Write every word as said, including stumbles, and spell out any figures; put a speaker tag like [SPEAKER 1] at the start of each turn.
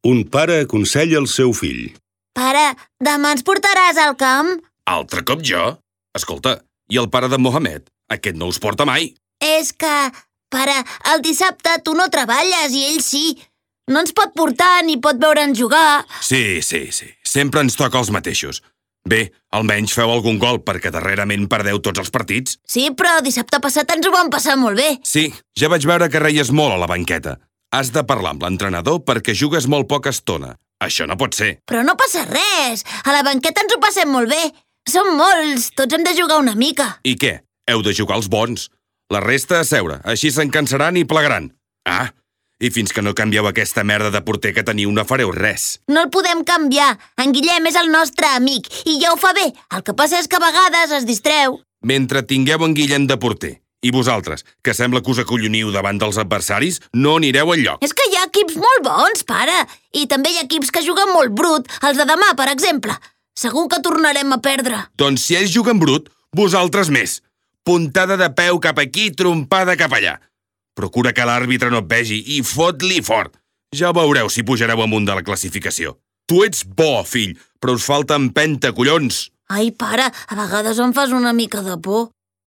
[SPEAKER 1] Un pare aconsella el seu fill.
[SPEAKER 2] Pare, demà ens portaràs al camp?
[SPEAKER 3] Altre cop jo? Escolta, i el pare de Mohamed? Aquest no us porta mai.
[SPEAKER 2] És que, pare, el dissabte tu no treballes i ell sí. No ens pot portar ni pot veure'ns jugar.
[SPEAKER 3] Sí, sí, sí. Sempre ens toca els mateixos. Bé, almenys feu algun gol, perquè darrerament perdeu tots els partits.
[SPEAKER 2] Sí, però dissabte passat ens ho vam passar molt bé.
[SPEAKER 3] Sí, ja vaig veure que reies molt a la banqueta. Has de parlar amb l'entrenador perquè jugues molt poca estona. Això no pot ser.
[SPEAKER 2] Però no passa res. A la banqueta ens ho passem molt bé. Som molts, tots hem de jugar una mica.
[SPEAKER 3] I què? Heu de jugar els bons. La resta a seure, així se'n cansaran i plegaran. Ah, i fins que no canvieu aquesta merda de porter que teniu no fareu res.
[SPEAKER 2] No el podem canviar. En Guillem és el nostre amic i ja ho fa bé. El que passa és que a vegades es distreu.
[SPEAKER 3] Mentre tingueu en Guillem de porter i vosaltres, que sembla que us acolloniu davant dels adversaris, no anireu enlloc.
[SPEAKER 2] És que hi ha equips molt bons, pare. I també hi ha equips que juguen molt brut. Els de demà, per exemple. Segur que tornarem a perdre.
[SPEAKER 3] Doncs si ells juguen brut, vosaltres més. Puntada de peu cap aquí, trompada cap allà. Procura que l'àrbitre no et vegi i fot-li fort. Ja veureu si pujareu amunt de la classificació. Tu ets bo, fill, però us falta empenta, collons.
[SPEAKER 2] Ai, pare, a vegades em fas una mica de por.